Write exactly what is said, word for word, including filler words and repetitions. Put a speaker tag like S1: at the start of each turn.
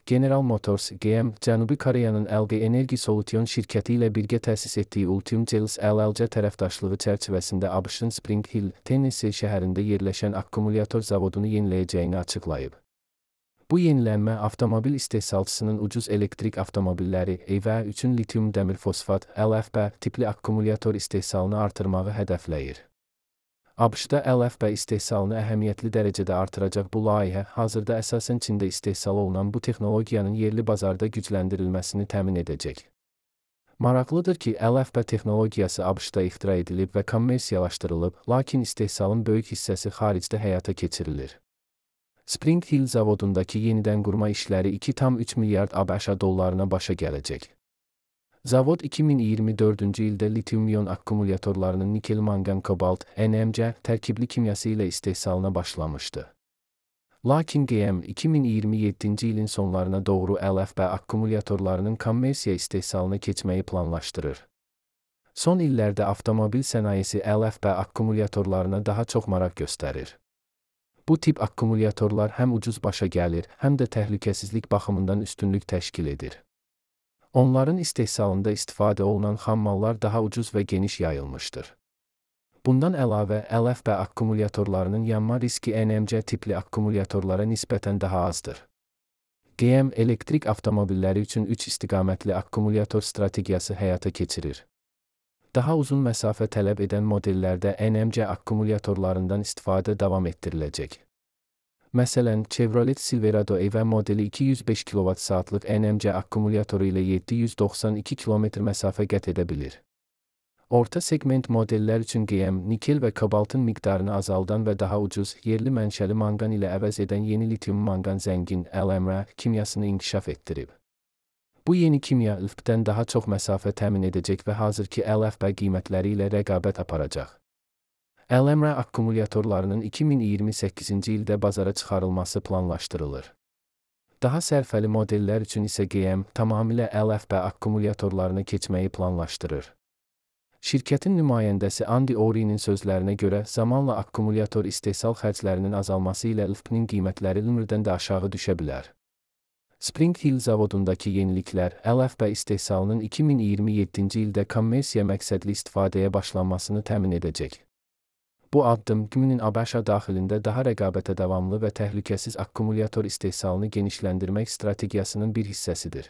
S1: General Motors G M, Cənubi Koreyanın L G Energy Solution şirkəti ilə birgə təsis etdiyi Ultium Cells L L C tərəfdaşlığı çərçivəsində ABŞ-ın Spring Hill, Tennessee şəhərində yerləşən akkumulyator zavodunu yeniləyəcəyini açıqlayıb. Bu yenilənmə avtomobil istehsalçısının ucuz elektrik avtomobilləri E V üçün litium dəmir fosfat L F P tipli akkumulyator istehsalını artırmağı hədəfləyir. ABŞ-da L F P istehsalını əhəmiyyətli dərəcədə artıracaq bu layihə, hazırda əsasən Çində istehsal olunan bu texnologiyanın yerli bazarda gücləndirilməsini təmin edəcək. Maraqlıdır ki, L F P texnologiyası ABŞ-da ixtira edilib və kommersiyalaşdırılıb, lakin istehsalın böyük hissəsi xaricdə həyata keçirilir. Spring Hill zavodundakı yenidən qurma işləri iki tam üç milyard ABŞ dollarına başa gələcək. Zavod iki min iyirmi dördüncü ildə litium-ion akkumulyatorlarının nikel-mangan-kobalt N M C tərkibli kimyası ilə istehsalına başlamışdı. Lakin G M iki min iyirmi yeddinci ilin sonlarına doğru L F P akkumulyatorlarının kommersiya istehsalına keçməyi planlaşdırır. Son illərdə avtomobil sənayesi L F P akkumulyatorlarına daha çox maraq göstərir. Bu tip akkumulyatorlar həm ucuz başa gəlir, həm də təhlükəsizlik baxımından üstünlük təşkil edir. Onların istehsalında istifadə olunan xammallar daha ucuz və geniş yayılmışdır. Bundan əlavə, L F P akkumulyatorlarının yanma riski N M C tipli akkumulyatorlara nisbətən daha azdır. G M elektrik avtomobilləri üçün üç istiqamətli akkumulyator strategiyası həyata keçirir. Daha uzun məsafə tələb edən modellərdə N M C akkumulyatorlarından istifadə davam etdiriləcək. Məsələn, Chevrolet Silverado E V modeli iki yüz beş kilovat saatlıq N M C akkumulyatoru ilə yeddi yüz doxsan iki kilometr məsafə qət edə bilir. Orta segment modellər üçün G M, nikel və kobaltın miqdarını azaldan və daha ucuz, yerli mənşəli manqan ilə əvəz edən yeni litium-manqan zəngin L M R kimyasını inkişaf etdirib. Bu yeni kimya L F P-dən daha çox məsafə təmin edəcək və hazırki L F P qiymətləri ilə rəqabət aparacaq. L M R akkumulyatorlarının iki min iyirmi səkkizinci ildə bazara çıxarılması planlaşdırılır. Daha sərfəli modellər üçün isə G M tamamilə L F P akkumulyatorlarına keçməyi planlaşdırır. Şirkətin nümayəndəsi Andy Ory'nin sözlərinə görə, zamanla akkumulyator istehsal xərclərinin azalması ilə L F P-nin qiymətləri limrdən də aşağı düşə bilər. Spring Hill zavodundakı yeniliklər, L F P istehsalının iki min iyirmi yeddinci ildə kommersiya məqsədli istifadəyə başlanmasını təmin edəcək. Bu addım G M-nin ABŞ daxilində daha rəqabətə davamlı və təhlükəsiz akkumulyator istehsalını genişləndirmək strategiyasının bir hissəsidir.